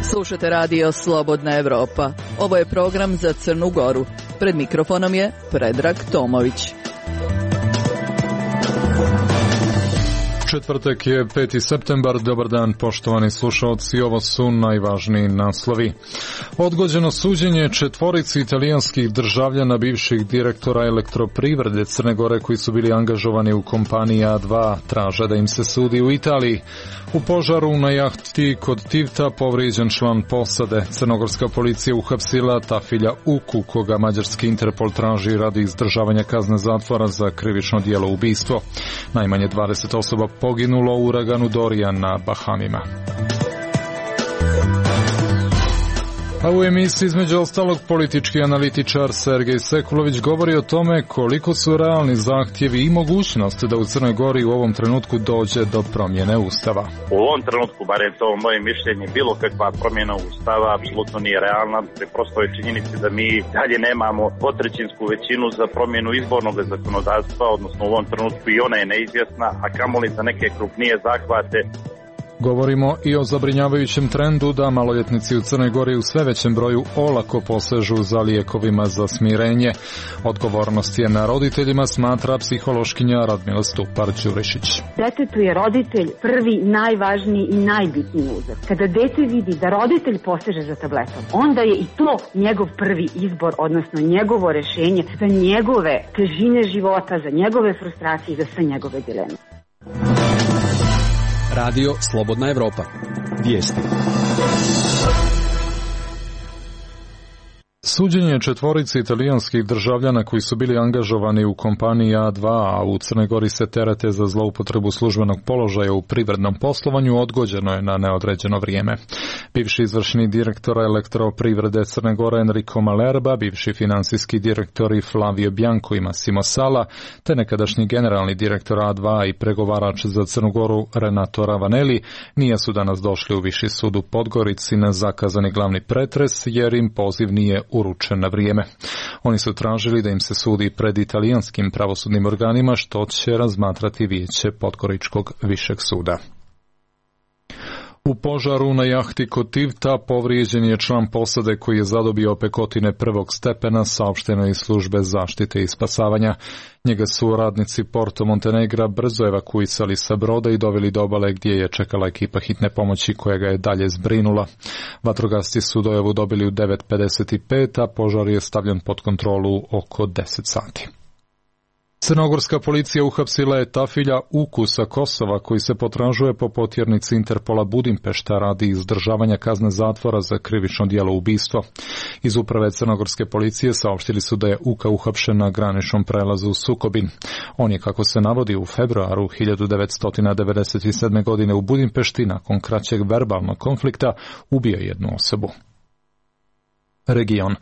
Slušate radio Slobodna Evropa. Ovo je program za Crnu Goru. Pred mikrofonom je Predrag Tomović. Četvrtak je 5. septembar. Dobar dan, poštovani slušalci. Ovo su najvažniji naslovi. Odgođeno suđenje četvorici italijanskih državljana bivših direktora Elektroprivrede Crne Gore koji su bili angažovani u kompaniji A2 traže da im se sudi u Italiji. U požaru na jahti kod Tivta povrijeđen član posade. Crnogorska policija uhapsila Tafilja Uku, koga mađarski Interpol traži radi izdržavanja kazne zatvora za krivično djelo ubistvo. Najmanje 20 osoba poginulo u uraganu Dorian na Bahamima. A u emisiji između ostalog politički analitičar Sergej Sekulović govori o tome koliko su realni zahtjevi i mogućnost da u Crnoj Gori u ovom trenutku dođe do promjene Ustava. U ovom trenutku, barem to moje mišljenje, bilo kakva promjena Ustava apsolutno nije realna. Prosto je činjenica da mi dalje nemamo dvotrećinsku većinu za promjenu izbornog zakonodavstva, odnosno u ovom trenutku i ona je neizvjesna, a kamoli za neke krupnije zahvate. Govorimo i o zabrinjavajućem trendu da maloljetnici u Crnoj Gori u sve većem broju olako posežu za lijekovima za smirenje. Odgovornost je na roditeljima, smatra psihološkinja Radmila Stupar-Đurišić. Detetu je roditelj prvi, najvažniji i najbitniji uzor. Kada dete vidi da roditelj poseže za tabletom, onda je i to njegov prvi izbor, odnosno njegovo rješenje za njegove težine života, za njegove frustracije i za sve njegove dileme. Radio Slobodna Evropa. Vijesti. Suđenje četvorici italijanskih državljana koji su bili angažovani u kompaniji A2, a u Crnoj Gori se terete za zloupotrebu službenog položaja u privrednom poslovanju, odgođeno je na neodređeno vrijeme. Bivši izvršni direktor Elektroprivrede Crne Gore Enrico Malerba, bivši finansijski direktori Flavio Bianco i Massimo Sala, te nekadašnji generalni direktor A2 i pregovarač za Crnu Goru Renato Ravanelli nije su danas došli u Viši sud u Podgorici na zakazani glavni pretres jer im poziv nije uručen na vrijeme. Oni su tražili da im se sudi pred italijanskim pravosudnim organima, što će razmatrati vijeće Podgoričkog višeg suda. U požaru na jahti kod Tivta povrijeđen je član posade koji je zadobio opekotine prvog stepena, saopšteno iz službe zaštite i spasavanja. Njega su radnici Porto Montenegra brzo evakuisali sa broda i doveli do obale gdje je čekala ekipa hitne pomoći koja ga je dalje zbrinula. Vatrogasci su dojavu dobili u 9:55, a požar je stavljen pod kontrolu oko 10 sati. Crnogorska policija uhapsila je Tafilja Uku sa Kosova koji se potražuje po potjernici Interpola Budimpešta radi izdržavanja kazne zatvora za krivično djelo ubistvo. Iz uprave crnogorske policije saopštili su da je Uka uhapšen na graničnom prelazu Sukobin. On je, kako se navodi, u februaru 1997. godine u Budimpešti nakon kraćeg verbalnog konflikta ubio jednu osobu. Region.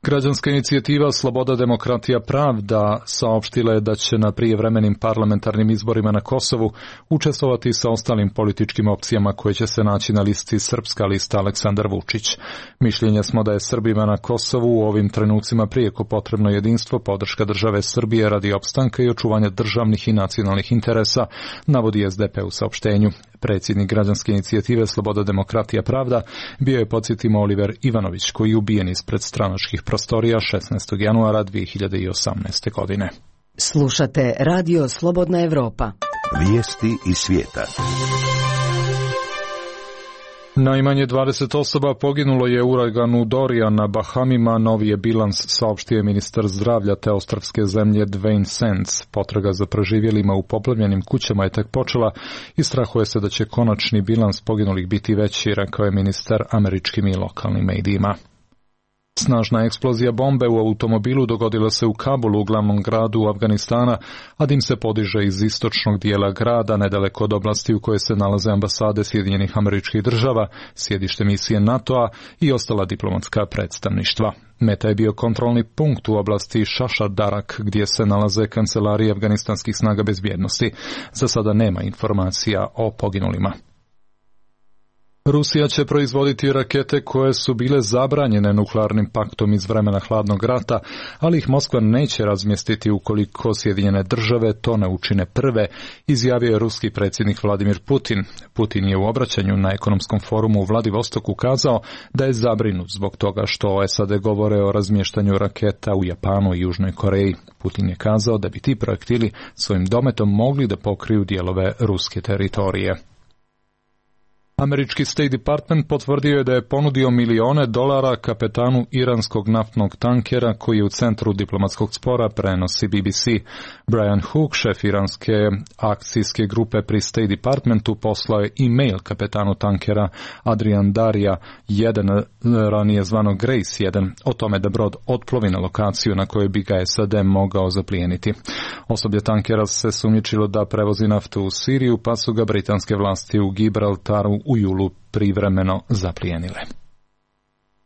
Građanska inicijativa Sloboda, demokratija, pravda saopštila je da će na prijevremenim parlamentarnim izborima na Kosovu učestvovati sa ostalim političkim opcijama koje će se naći na listi Srpska lista Aleksandar Vučić. Mišljenja smo da je Srbima na Kosovu u ovim trenucima prijeko potrebno jedinstvo, podrška države Srbije radi opstanka i očuvanja državnih i nacionalnih interesa, navodi SDP u saopštenju. Predsjednik građanske inicijative Sloboda, demokratija, pravda bio je, podsjetimo, Oliver Ivanović, koji je ubijen ispred stranačkih prostorija 16. januara 2018. godine. Slušate Radio Slobodna Evropa. Vijesti iz svijeta. Najmanje 20 osoba poginulo je u uraganu Dorian na Bahamima, novi je bilans, saopštio je ministar zdravlja te ostrvske zemlje Dwayne Sands. Potraga za preživjelima u poplavljenim kućama je tek počela i strahuje se da će konačni bilans poginulih biti veći, rekao je ministar američkim i lokalnim medijima. Snažna eksplozija bombe u automobilu dogodila se u Kabulu, glavnom gradu Afganistana, a dim se podiže iz istočnog dijela grada, nedaleko od oblasti u kojoj se nalaze ambasade Sjedinjenih Američkih Država, sjedište misije NATO-a i ostala diplomatska predstavništva. Meta je bio kontrolni punkt u oblasti Šašar Darak, gdje se nalaze kancelarije afganistanskih snaga bezbjednosti. Za sada nema informacija o poginulima. Rusija će proizvoditi rakete koje su bile zabranjene nuklearnim paktom iz vremena hladnog rata, ali ih Moskva neće razmjestiti ukoliko Sjedinjene države to ne učine prve, izjavio je ruski predsjednik Vladimir Putin. Putin je u obraćanju na ekonomskom forumu u Vladivostoku kazao da je zabrinut zbog toga što SAD govore o razmještanju raketa u Japanu i Južnoj Koreji. Putin je kazao da bi ti projektili svojim dometom mogli da pokriju dijelove ruske teritorije. Američki State Department potvrdio je da je ponudio milione dolara kapetanu iranskog naftnog tankera koji je u centru diplomatskog spora, prenosi BBC. Brian Hook, šef iranske akcijske grupe pri State Departmentu, poslao je e-mail kapetanu tankera Adrian Darija 1, ranije zvano Grace 1, o tome da brod otplovi na lokaciju na kojoj bi ga SAD mogao zaplijeniti. Osoblje tankera se sumnjičilo da prevozi naftu u Siriju, pa su ga britanske vlasti u Gibraltaru u julu privremeno zaplijenile.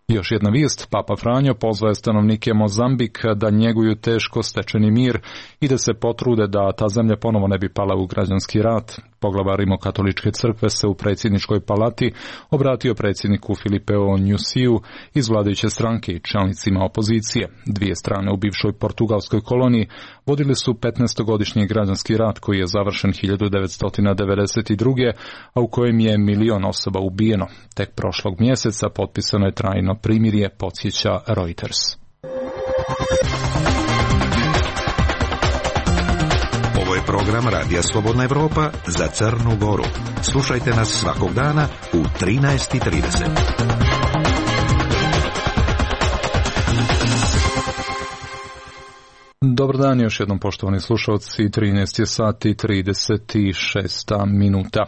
Još jedna vijest, Papa Franjo pozvaje stanovnike Mozambika da njeguju teško stečeni mir i da se potrude da ta zemlja ponovo ne bi pala u građanski rat. Poglava Rimokatoličke crkve se u predsjedničkoj palati obratio predsjedniku Filipeu Nyusiju iz vladajuće stranke i čelnicima opozicije. Dvije strane u bivšoj portugalskoj koloniji vodili su 15-godišnji građanski rat koji je završen 1992. a u kojem je 1 milion osoba ubijeno. Tek prošlog mjeseca potpisano je trajno primirje, podsjeća Reuters. Ovo je program Radija Slobodna Evropa za Crnu Goru. Slušajte nas svakog dana u 13:30. Dobar dan još jednom, poštovani slušalci, 13 je sati 36 minuta.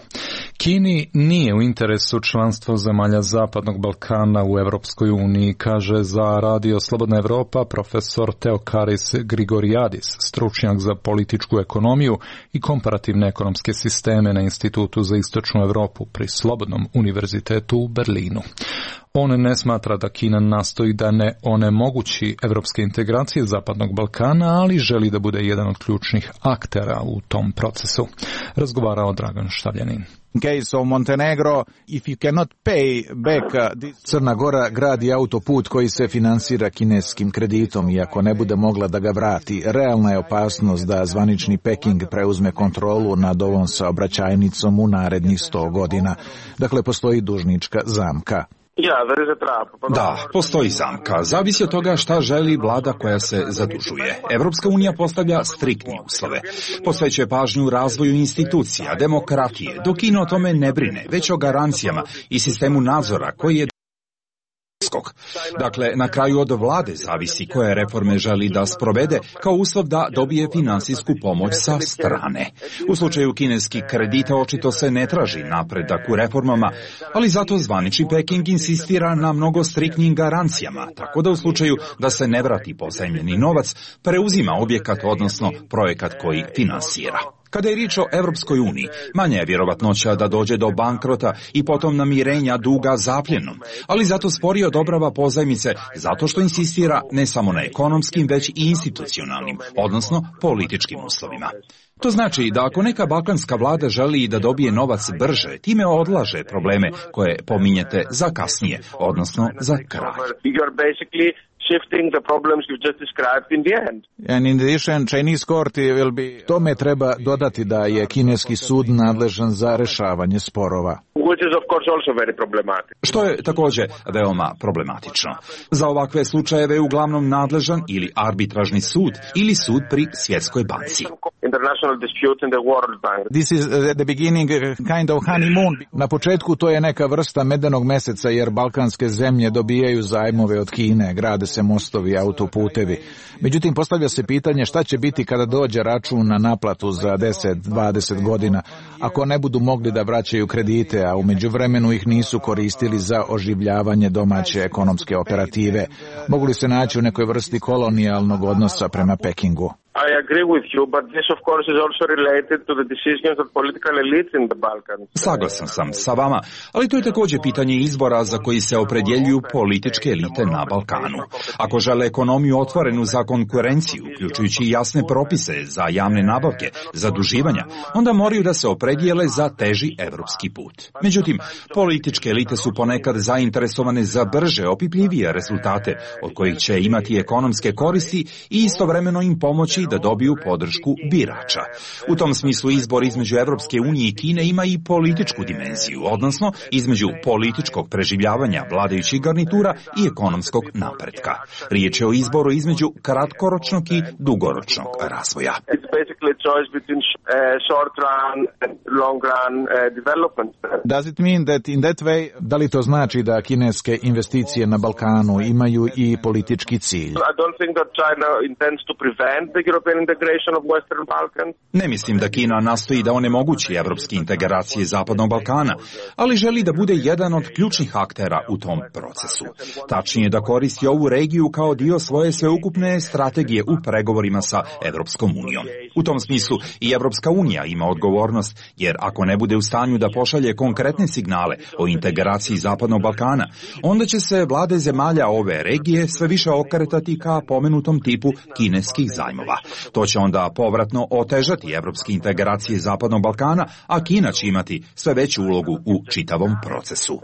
Kini nije u interesu članstvo zemalja Zapadnog Balkana u Europskoj uniji, kaže za Radio Slobodna Evropa profesor Theokaris Grigoriadis, stručnjak za političku ekonomiju i komparativne ekonomske sisteme na Institutu za istočnu Europu pri Slobodnom univerzitetu u Berlinu. On ne smatra da Kina nastoji da ne onemogući evropske integracije Zapadnog Balkana, ali želi da bude jedan od ključnih aktera u tom procesu. Razgovarao Dragan Štavljanin. Crna Gora gradi autoput koji se finansira kineskim kreditom i ako ne bude mogla da ga vrati, realna je opasnost da zvanični Peking preuzme kontrolu nad ovom saobraćajnicom u narednih 100 godina. Dakle, postoji dužnička zamka. Da, postoji zamka. Zavisi od toga šta želi vlada koja se zadužuje. Evropska unija postavlja striktne uslove. Posvećuje pažnju razvoju institucija, demokratije, dok Kina o tome ne brine, već o garancijama i sistemu nadzora koji je Dakle, na kraju od vlade zavisi koje reforme želi da sprovede kao uslov da dobije finansijsku pomoć sa strane. U slučaju kineskih kredita očito se ne traži napredak u reformama, ali zato zvanični Peking insistira na mnogo striktnim garancijama, tako da u slučaju da se ne vrati pozajmljeni novac, preuzima objekat, odnosno projekat koji finansira. Kada je riječ o Evropskoj uniji, manja je vjerovatnoća da dođe do bankrota i potom namirenja duga zapljenom, ali zato sporije odobrava pozajmice zato što insistira ne samo na ekonomskim, već i institucionalnim, odnosno političkim uslovima. To znači da ako neka balkanska vlada želi da dobije novac brže, time odlaže probleme koje pominjete za kasnije, odnosno za kraj. Tome treba dodati da je kineski sud nadležan za rešavanje sporova. Što je također veoma problematično. Za ovakve slučajeve je uglavnom nadležan ili arbitražni sud ili sud pri Svjetskoj banci. This is the beginning kind of honeymoon. Na početku to je neka vrsta medenog meseca jer balkanske zemlje dobijaju zajmove od Kine, grade se mostovi, autoputevi. Međutim, postavlja se pitanje šta će biti kada dođe račun na naplatu za 10-20 godina, ako ne budu mogli da vraćaju kredite, a u međuvremenu ih nisu koristili za oživljavanje domaće ekonomske operative. Mogu li se naći u nekoj vrsti kolonijalnog odnosa prema Pekingu? I agree with you, but this of course is also related to the decisions of political elites in the Balkans. Saglasan sam sa vama, ali to je također pitanje izbora za koji se opredjeljuju političke elite na Balkanu. Ako žele ekonomiju otvorenu za konkurenciju, uključujući jasne propise za javne nabavke, zaduživanja, onda moraju da se opredijele za teži evropski put. Međutim, političke elite su ponekad zainteresovane za brže, opipljivije rezultate od kojih će imati ekonomske koristi i istovremeno im pomoći da dobiju podršku birača. U tom smislu izbor između Evropske unije i Kine ima i političku dimenziju, odnosno između političkog preživljavanja vladajućih garnitura i ekonomskog napretka. Riječ je o izboru između kratkoročnog i dugoročnog razvoja. Does it mean that in that way, da li to znači da kineske investicije na Balkanu imaju i politički cilj? I don't think that China intends to prevent the European integration of Western Balkans. Ne mislim da Kina nastoji da onemogući evropske integracije Zapadnog Balkana, ali želi da bude jedan od ključnih aktera u tom procesu. Tačnije da koristi ovu regiju kao dio svoje sveukupne strategije u pregovorima sa Evropskom unijom. U tom smislu i Evropska unija ima odgovornost, jer ako ne bude u stanju da pošalje konkretne signale o integraciji Zapadnog Balkana, onda će se vlade zemalja ove regije sve više okretati ka pomenutom tipu kineskih zajmova. To će onda povratno otežati evropske integracije Zapadnog Balkana, a Kina će imati sve veću ulogu u čitavom procesu.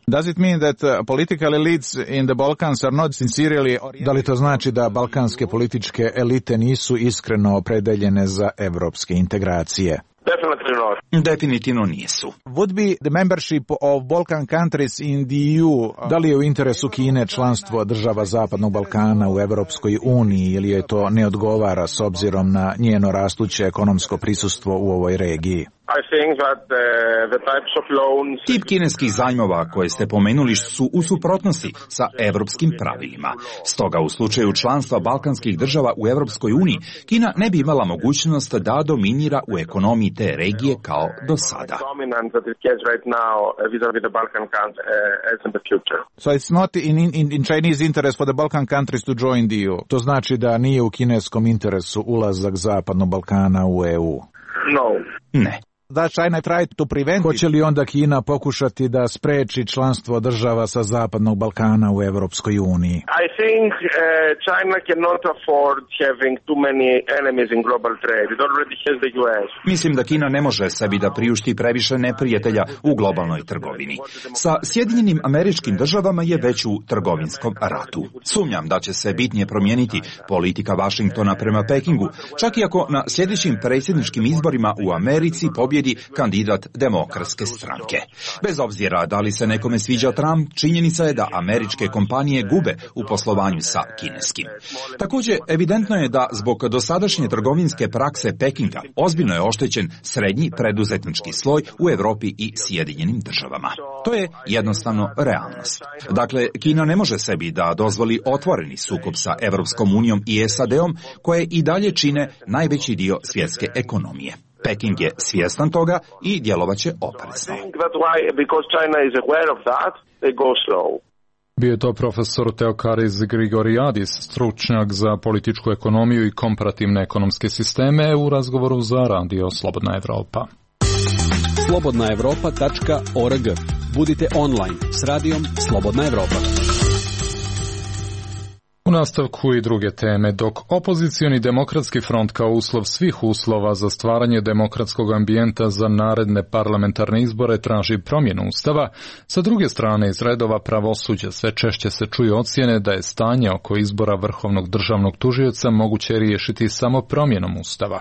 Does it mean that political elites in the Balkans are not sincerely, da li to znači da balkanske političke elite nisu iskreno opredeljene za evropske integracije? Definitivno nisu. Would be the membership of Balkan countries in the EU, da li je u interesu Kine članstvo država Zapadnog Balkana u Evropskoj uniji ili je to ne odgovara s obzirom na njeno rastuće ekonomsko prisustvo u ovoj regiji? Tip kineskih zajmova koje ste pomenuli su u suprotnosti sa evropskim pravilima. Stoga u slučaju članstva balkanskih država u Evropskoj uniji, Kina ne bi imala mogućnost da dominira u ekonomiji te regije kao do sada. So it's not in Chinese interest for the Balkan countries to join the EU. To znači da nije u kineskom interesu ulazak Zapadnog Balkana u EU. No. Ne. Da China try to prevent. Hoće li onda Kina pokušati da spreči članstvo država sa Zapadnog Balkana u Evropskoj uniji? I think China cannot afford having too many enemies in global trade. It already has the US. Mislim da Kina ne može sebi da priušti previše neprijatelja u globalnoj trgovini. Sa Sjedinjenim Američkim Državama je već u trgovinskom ratu. Sumnjam da će se bitnije promijeniti politika Vašingtona prema Pekingu, čak i ako na sljedećim predsjedničkim izborima u Americi pobjedi kandidat Demokratske stranke. Bez obzira da li se nekome sviđa Trump, činjenica je da američke kompanije gube u poslovanju sa kineskim. Također, evidentno je da zbog dosadašnje trgovinske prakse Pekinga ozbiljno je oštećen srednji preduzetnički sloj u Europi i Sjedinjenim Državama. To je jednostavno realnost. Dakle, Kina ne može sebi da dozvoli otvoreni sukob sa Evropskom unijom i SAD-om, koje i dalje čine najveći dio svjetske ekonomije. Peking je svjestan toga i djelovaće oprezno. Bio je to profesor Theokaris Grigoriadis, stručnjak za političku ekonomiju i komparativne ekonomske sisteme u razgovoru za Radio Slobodna Evropa. slobodnaevropa.org. Budite online s radijom Slobodna Evropa. U nastavku i druge teme, dok opozicioni demokratski front kao uslov svih uslova za stvaranje demokratskog ambijenta za naredne parlamentarne izbore traži promjenu Ustava, sa druge strane iz redova pravosuđa sve češće se čuju ocjene da je stanje oko izbora vrhovnog državnog tužioca moguće riješiti samo promjenom Ustava.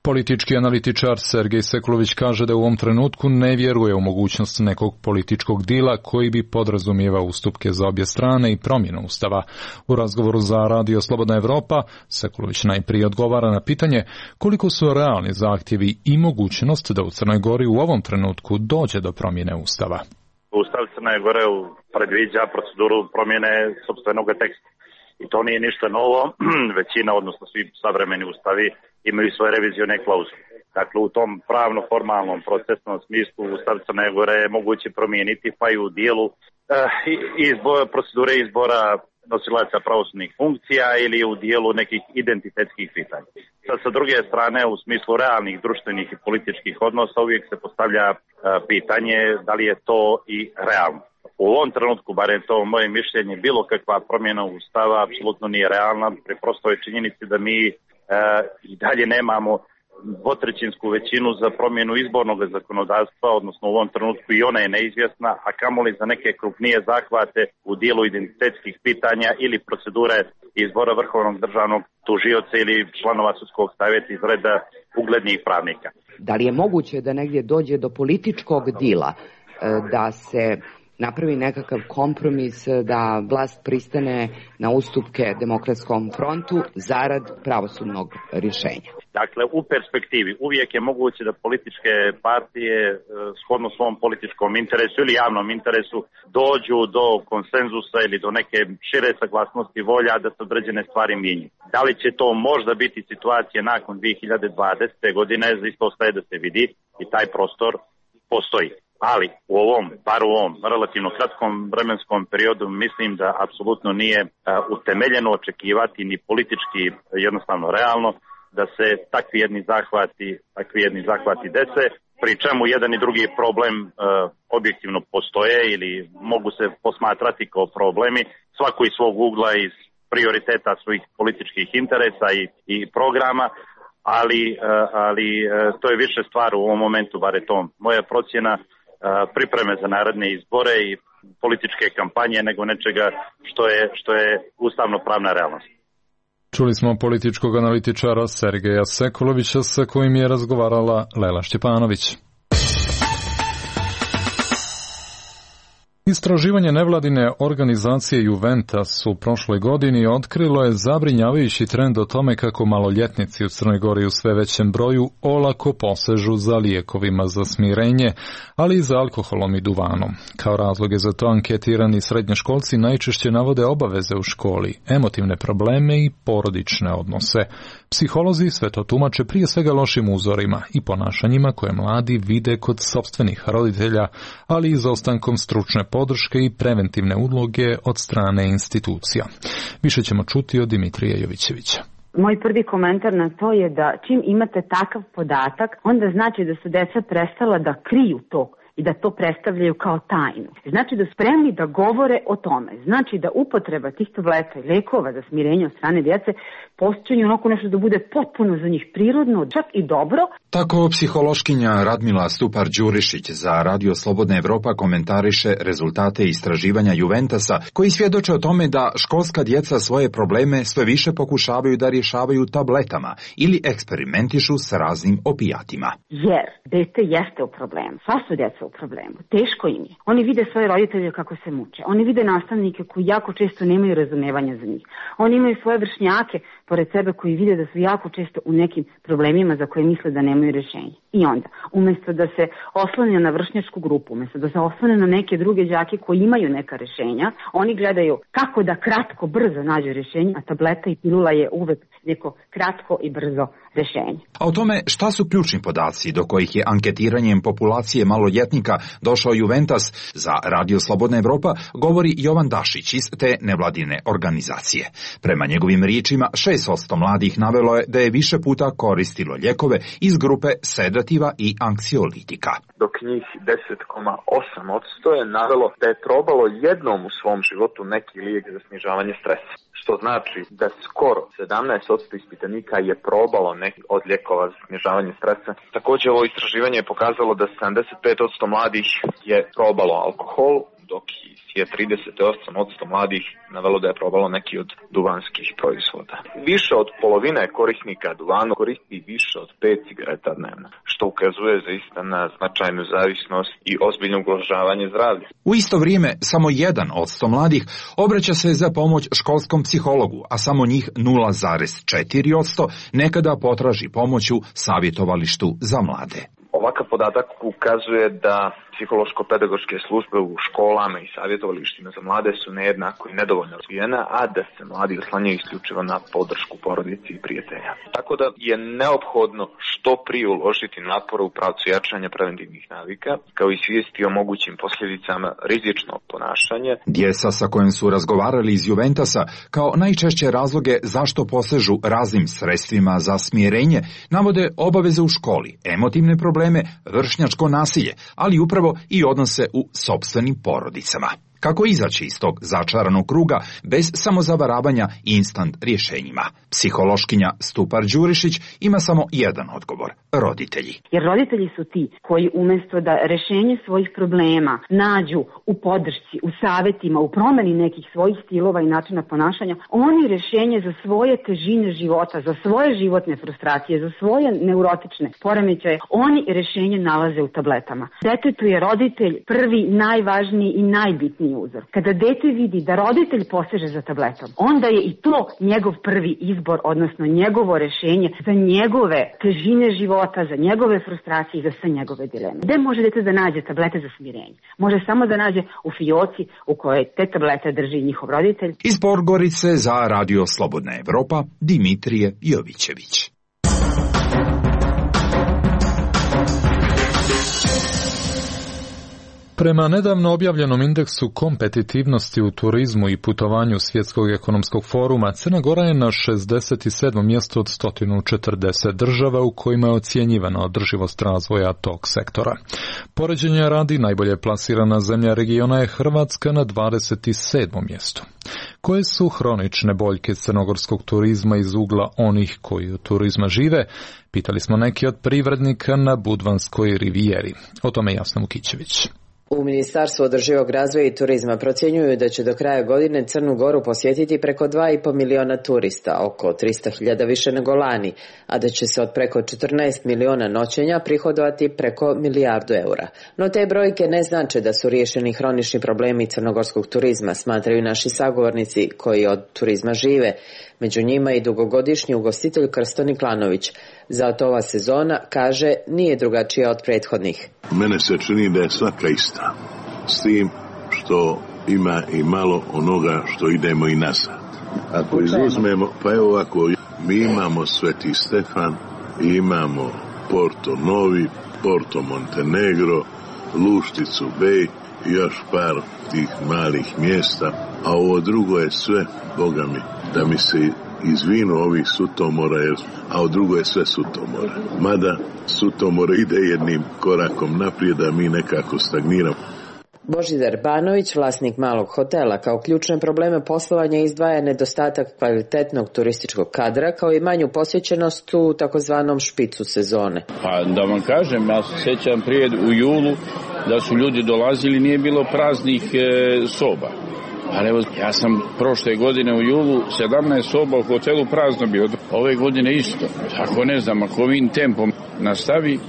Politički analitičar Sergej Sekulović kaže da u ovom trenutku ne vjeruje u mogućnost nekog političkog dila koji bi podrazumijevao ustupke za obje strane i promjenu Ustava. U razgovoru za Radio Slobodna Evropa, Sekulović najprije odgovara na pitanje koliko su realni zahtjevi i mogućnost da u Crnoj Gori u ovom trenutku dođe do promjene Ustava. Ustav Crne Gore predviđa proceduru promjene sopstvenog teksta. I to nije ništa novo, većina, odnosno svi savremeni ustavi imaju svoje revizione klauzule. Dakle, u tom pravno-formalnom procesnom smislu Ustav Crne Gore je moguće promijeniti, pa i u dijelu procedure izbora nosilaca pravosudnih funkcija ili u dijelu nekih identitetskih pitanja. Sad, sa druge strane, u smislu realnih društvenih i političkih odnosa uvijek se postavlja pitanje da li je to i realno. U ovom trenutku, barem to moje mišljenje, bilo kakva promjena Ustava apsolutno nije realna, pri prostoj činjenici da mi i dalje nemamo dvotrećinsku većinu za promjenu izbornog zakonodavstva, odnosno u ovom trenutku i ona je neizvjesna, a kamoli za neke krupnije zahvate u dijelu identitetskih pitanja ili procedure izbora vrhovnog državnog tužioca ili članova sudskog savjeta iz reda uglednih pravnika. Da li je moguće da negdje dođe do političkog dila, da se napravi nekakav kompromis, da vlast pristane na ustupke Demokratskom frontu zarad pravosudnog rješenja? Dakle, u perspektivi uvijek je moguće da političke partije shodno svom političkom interesu ili javnom interesu dođu do konsenzusa ili do neke šire saglasnosti volja da se određene stvari mijenjaju. Da li će to možda biti situacija nakon 2020. godine, isto ostaje da se vidi i taj prostor postoji. Ali bar u ovom relativno kratkom vremenskom periodu mislim da apsolutno nije utemeljeno očekivati ni politički jednostavno realno da se takvi jedni zahvati dese, pri čemu jedan i drugi problem objektivno postoje ili mogu se posmatrati kao problemi, svako iz svog ugla, iz prioriteta svojih političkih interesa i programa, ali to je više stvar u ovom momentu, bar je to moja procjena, pripreme za naredne izbore i političke kampanje nego nečega što je ustavno-pravna realnost. Čuli smo političkog analitičara Sergeja Sekulovića sa kojim je razgovarala Lela Šćepanović. Istraživanje nevladine organizacije Juventus u prošloj godini otkrilo je zabrinjavajući trend o tome kako maloljetnici u Crnoj Gori u sve većem broju olako posežu za lijekovima za smirenje, ali i za alkoholom i duvanom. Kao razloge za to anketirani srednjoškolci najčešće navode obaveze u školi, emotivne probleme i porodične odnose. Psiholozi sve to tumače prije svega lošim uzorima i ponašanjima koje mladi vide kod sopstvenih roditelja, ali i izostankom stručne podrške i preventivne uloge od strane institucija. Više ćemo čuti od Dimitrija Jovićevića. Moj prvi komentar na to je da čim imate takav podatak, onda znači da su deca prestala da kriju to i da to predstavljaju kao tajnu. Znači da su spremni da govore o tome. Znači da upotreba tih tableta i lekova za smirenje od strane djece postoji onako nešto da bude potpuno za njih prirodno, čak i dobro. Tako psihološkinja Radmila Stupar-Đurišić za Radio Slobodna Evropa komentariše rezultate istraživanja Juventusa koji svjedoče o tome da školska djeca svoje probleme sve više pokušavaju da rješavaju tabletama ili eksperimentišu s raznim opijatima. Jer dete jeste u problemu, sva su djeca u problemu, teško im je. Oni vide svoje roditelje kako se muče, oni vide nastavnike koji jako često nemaju razumevanja za njih. Oni imaju svoje vršnjake pored sebe koji vide da su jako često u nekim problemima za koje misle da nemaju rješenje. I onda, umjesto da se oslone na vršnjačku grupu, umjesto da se oslone na neke druge đake koji imaju neka rješenja, oni gledaju kako da kratko, brzo nađu rješenje, a tableta i pilula je uvek neko kratko i brzo rješenje. A o tome šta su ključni podaci do kojih je anketiranjem populacije maloljetnika došao Juventus, za Radio Slobodna Evropa govori Jovan Dašić iz te nevladine organizacije. Prema njegovim riječima, 6% mladih navelo je da je više puta koristilo lijekove iz grupe sedativa i anksiolitika. Dok njih 10,8% je navelo da je probalo jednom u svom životu neki lijek za snižavanje stresa. Što znači da skoro 17% ispitanika je probalo neki od lijekova za snižavanje stresa. Također ovo istraživanje je pokazalo da 75% mladih je probalo alkohol, dok je 38% mladih navelo da je probalo neki od duvanskih proizvoda. Više od polovine korisnika duvana koristi više od 5 cigareta dnevno, što ukazuje zaista na značajnu zavisnost i ozbiljno ugrožavanje zdravlja. U isto vrijeme, samo 1% mladih obraća se za pomoć školskom psihologu, a samo njih 0,4% nekada potraži pomoć u savjetovalištu za mlade. Ovakav podatak ukazuje da psihološko-pedagoške službe u školama i savjetovalištima za mlade su nejednako i nedovoljno razvijene, a da se mladi oslanjaju isključivo na podršku porodici i prijatelja. Tako da je neophodno što prije uložiti napore u pravcu jačanja preventivnih navika, kao i svijesti o mogućim posljedicama rizičnog ponašanja. Djeca sa kojim su razgovarali iz Juventasa kao najčešće razloge zašto posežu raznim sredstvima za smirenje navode obaveze u školi, emotivne probleme, vršnjačko nasilje, ali upravo i odnose u sopstvenim porodicama. Kako izaći iz tog začaranog kruga bez samozavaravanja instant rješenjima? Psihološkinja Stupar Đurišić ima samo jedan odgovor: roditelji. Jer roditelji su ti koji umjesto da rješenje svojih problema nađu u podršci, u savjetima, u promjeni nekih svojih stilova i načina ponašanja, oni rješenje za svoje težine života, za svoje životne frustracije, za svoje neurotične poremećaje, oni rješenje nalaze u tabletama. Detetu je roditelj prvi, najvažniji i najbitniji uzor. Kada dete vidi da roditelj poseže za tabletom, onda je i to njegov prvi izbor, odnosno njegovo rješenje za njegove težine života, za njegove frustracije i za sve njegove dileme. Gde može dete da nađe tablete za smirenje? Može samo da nađe u fioci u kojoj te tablete drži njihov roditelj. Iz Podgorice za Radio Slobodna Evropa, Dimitrije Jovićević. Prema nedavno objavljenom indeksu kompetitivnosti u turizmu i putovanju Svjetskog ekonomskog foruma, Crna Gora je na 67. mjestu od 140 država u kojima je ocjenjivana održivost razvoja tog sektora. Poređenja radi, najbolje plasirana zemlja regiona je Hrvatska na 27. mjestu. Koje su hronične boljke crnogorskog turizma iz ugla onih koji od turizma žive? Pitali smo neki od privrednika na Budvanskoj rivijeri. O tome Jasna Vukićević. U Ministarstvu održivog razvoja i turizma procjenjuju da će do kraja godine Crnu Goru posjetiti preko 2,5 miliona turista, oko 300.000 više nego lani, a da će se od preko 14 miliona noćenja prihodovati preko 1 milijardu eura. No te brojke ne znače da su riješeni hronični problemi crnogorskog turizma, smatraju naši sagovornici koji od turizma žive. Među njima i dugogodišnji ugostitelj Krsto Niklanović. Zato ova sezona, kaže, nije drugačija od prethodnih. Mene se čini da je svaka ista, s tim što ima i malo onoga što idemo i nazad. Ako izuzmemo, pa evo ovako, mi imamo Sveti Stefan, imamo Porto Novi, Porto Montenegro, Lušticu Bej i još par tih malih mjesta, a ovo drugo je sve, Boga mi, da mi se izvinu ovih sutomora, a od drugo je sve sutomora. Mada sutomora ide jednim korakom naprijed, a mi nekako stagniramo. Božidar Banović, vlasnik malog hotela, kao ključne probleme poslovanja izdvaja nedostatak kvalitetnog turističkog kadra, kao i manju posjećenost u takozvanom špicu sezone. Pa da vam kažem, ja se sjećam prije u julu da su ljudi dolazili, nije bilo praznih soba. Ali evo, ja sam prošle godine u julu 17 soba u hotelu prazno bio. Ove godine isto. Ako ne znam, ako ovim tempom nastavi,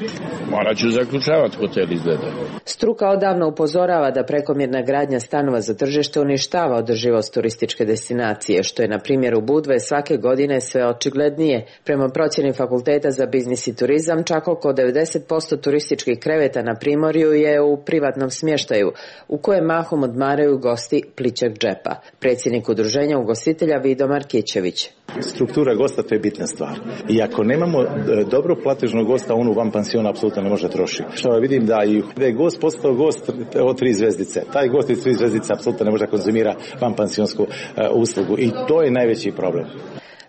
morat ću zaključavati hotel izgleda. Struka odavno upozorava da prekomjerna gradnja stanova za tržište uništava održivost turističke destinacije, što je na primjer u Budve svake godine sve očiglednije. Prema procjeni Fakulteta za biznis i turizam, čak oko 90% turističkih kreveta na Primorju je u privatnom smještaju, u kojem mahom odmaraju gosti plićeg džepa. Predsjednik udruženja ugostitelja Vido Markićević. Struktura gosta, to je bitna stvar. I ako nemamo dobro platežnog gosta, on u van pansiona apsolutno ne može trošiti. Što vidim da je gost postao gost od 3 zvezdice. Taj gost iz 3 zvezdice apsolutno ne može konzumira van pansionsku uslugu. I to je najveći problem.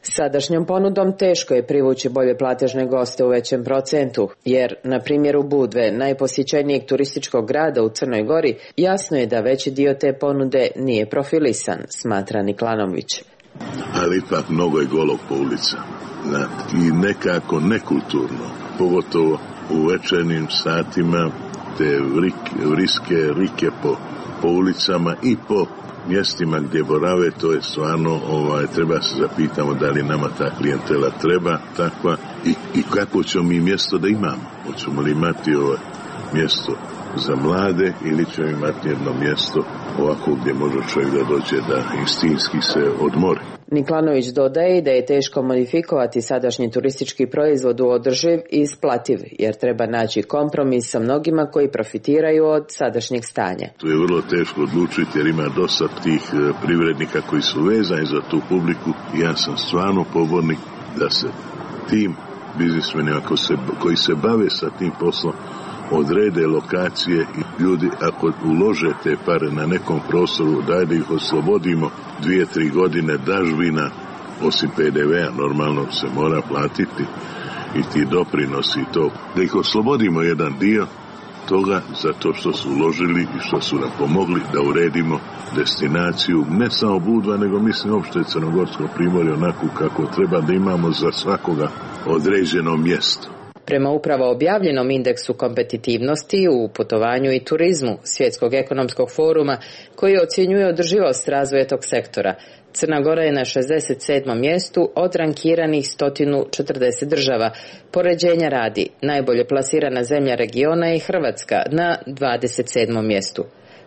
Sadašnjom ponudom teško je privući bolje platežne goste u većem procentu, jer, na primjeru Budve, najposjećenijeg turističkog grada u Crnoj Gori, jasno je da veći dio te ponude nije profilisan, smatra Niklanović. Ali ipak mnogo je golog po ulica. I nekako nekulturno, pogotovo u večernjim satima, te vriske rike po ulicama i po mjestima gdje borave, to je stvarno, treba se zapitamo da li nama ta klijentela treba takva i kako ćemo mi mjesto da imamo. Hoćemo li imati mjesto za mlade ili ćemo imati jedno mjesto ovako gdje može čovjek da dođe da istinski se odmori. Niklanović dodaje da je teško modifikovati sadašnji turistički proizvod u održiv i isplativ, jer treba naći kompromis sa mnogima koji profitiraju od sadašnjeg stanja. To je vrlo teško odlučiti jer ima dosta tih privrednika koji su vezani za tu publiku i ja sam stvarno pobornik da se tim biznismenima koji se bave sa tim poslom odrede lokacije i ljudi ako ulože te pare na nekom prostoru da ih oslobodimo 2-3 godine dažbina, osim PDV-a normalno se mora platiti i ti doprinosi i to, da ih oslobodimo jedan dio toga za to što su uložili i što su nam pomogli da uredimo destinaciju, ne samo Budva, nego mislim uopšte Crnogorsko primorje onako kako treba da imamo za svakoga određeno mjesto. Prema upravo objavljenom indeksu kompetitivnosti u putovanju i turizmu Svjetskog ekonomskog foruma, koji ocjenjuje održivost razvoja tog sektora, Crna Gora je na 67. mjestu od rankiranih 140 država. Poređenja radi, najbolje plasirana zemlja regiona je Hrvatska na 27. mjestu.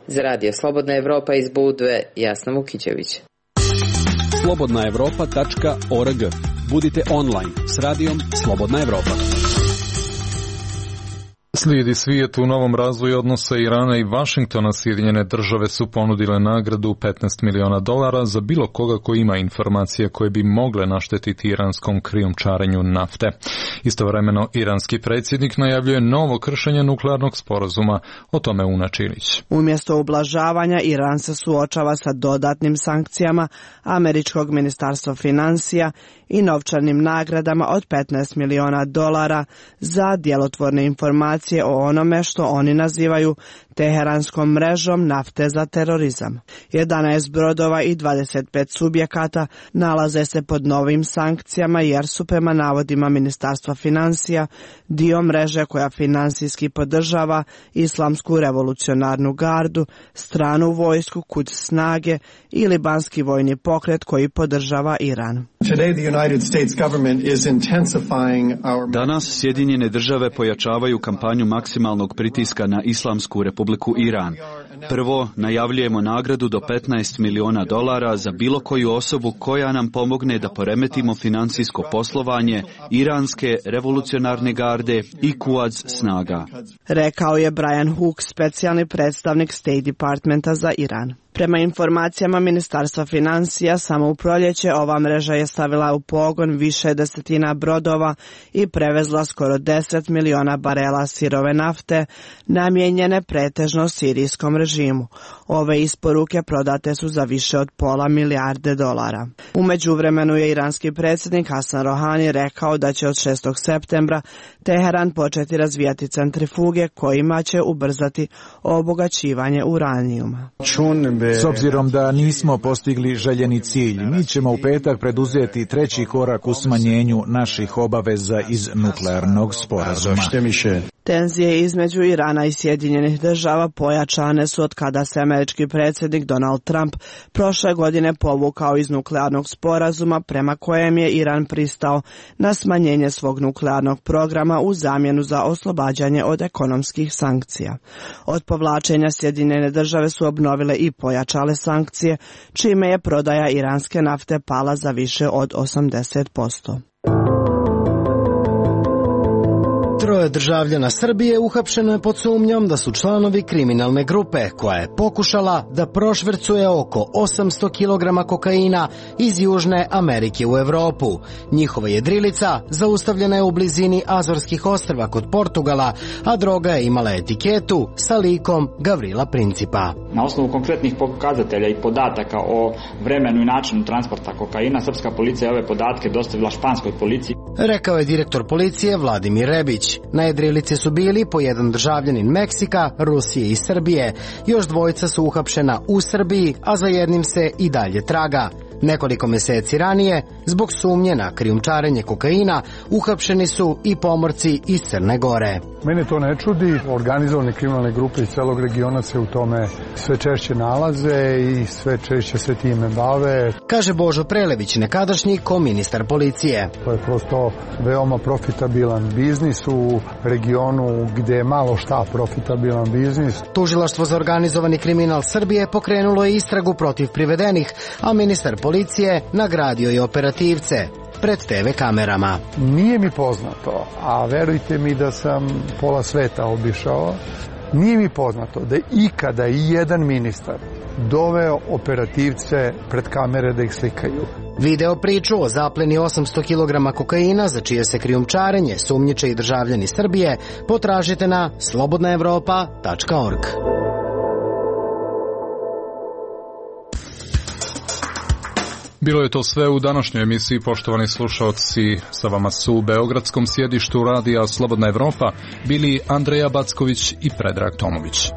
Za Radio Slobodna Evropa iz Budve, Jasna Vukićević. slobodnaevropa.org. Budite online s radijom Slobodna Evropa. Slijedi svijet u novom razvoju odnosa Irana i Vašingtona. Sjedinjene države su ponudile nagradu $15 miliona za bilo koga ko ima informacije koje bi mogle naštetiti iranskom krijumčarenju nafte. Istovremeno, iranski predsjednik najavljuje novo kršenje nuklearnog sporazuma. O tome Una Čilić. Umjesto ublažavanja, Iran se suočava sa dodatnim sankcijama američkog ministarstva financija i novčanim nagradama od $15 miliona za djelotvorne informacije o onome što oni nazivaju teheranskom mrežom nafte za terorizam. 11 brodova i 25 subjekata nalaze se pod novim sankcijama jer su prema navodima Ministarstva financija dio mreže koja finansijski podržava Islamsku revolucionarnu gardu, stranu vojsku, Quds snage i libanski vojni pokret koji podržava Iran. Danas Sjedinjene države pojačavaju kampanju maksimalnog pritiska na Islamsku republiku Iran. Prvo, najavljujemo nagradu do $15 miliona za bilo koju osobu koja nam pomogne da poremetimo financijsko poslovanje iranske revolucionarne garde i Quds snaga. Rekao je Brian Hook, specijalni predstavnik State Departmenta za Iran. Prema informacijama Ministarstva financija, samo u proljeće ova mreža je stavila u pogon više desetina brodova i prevezla skoro 10 miliona barela sirove nafte, namijenjene pretežno sirijskom režimu. Ove isporuke prodate su za više od $500 milijarde. U međuvremenu je iranski predsjednik Hasan Rohani rekao da će od 6. septembra Teheran početi razvijati centrifuge kojima će ubrzati obogaćivanje uranijuma. S obzirom da nismo postigli željeni cilj, mi ćemo u petak preduzeti treći korak u smanjenju naših obaveza iz nuklearnog sporazuma. Tenzije između Irana i Sjedinjenih država pojačane su od kada se američki predsjednik Donald Trump prošle godine povukao iz nuklearnog sporazuma prema kojem je Iran pristao na smanjenje svog nuklearnog programa u zamjenu za oslobađanje od ekonomskih sankcija. Od povlačenja Sjedinjene države su obnovile i pojačale sankcije, čime je prodaja iranske nafte pala za više od 80%. Troje državljana Srbije uhapšeno je pod sumnjom da su članovi kriminalne grupe koja je pokušala da prošvercuje oko 800 kg kokaina iz Južne Amerike u Evropu. Njihova jedrilica zaustavljena je u blizini Azorskih ostrva kod Portugala, a droga je imala etiketu sa likom Gavrila Principa. Na osnovu konkretnih pokazatelja i podataka o vremenu i načinu transporta kokaina, srpska policija je ove podatke dostavila španskoj policiji. Rekao je direktor policije Vladimir Rebić. Na jedrilici su bili po jedan državljanin Meksika, Rusije i Srbije. Još dvojica su uhapšena u Srbiji, a za jednim se i dalje traga. Nekoliko meseci ranije, zbog sumnje na krijumčarenje kokaina, uhapšeni su i pomorci iz Crne Gore. Mene to ne čudi, organizovane kriminalne grupe iz celog regiona se u tome sve češće nalaze i sve češće se time bave. Kaže Božo Prelević, nekadašnji koministar policije. To je prosto veoma profitabilan biznis u regionu gde je malo šta profitabilan biznis. Tužilaštvo za organizovani kriminal Srbije pokrenulo je istragu protiv privedenih, a ministar policije nagradio je operativce pred TV kamerama. Nije mi poznato, a verujte mi da sam pola sveta obišao, nije mi poznato da je ikada i jedan ministar doveo operativce pred kamere da ih slikaju. Video priču o zapleni 800 kg kokaina, za čije se krijumčarenje sumnjiče i državljani Srbije, potražite na slobodnaevropa.org. Bilo je to sve u današnjoj emisiji, poštovani slušaoci. Sa vama su u beogradskom sjedištu radija Slobodna Evropa bili Andreja Backović i Predrag Tomović.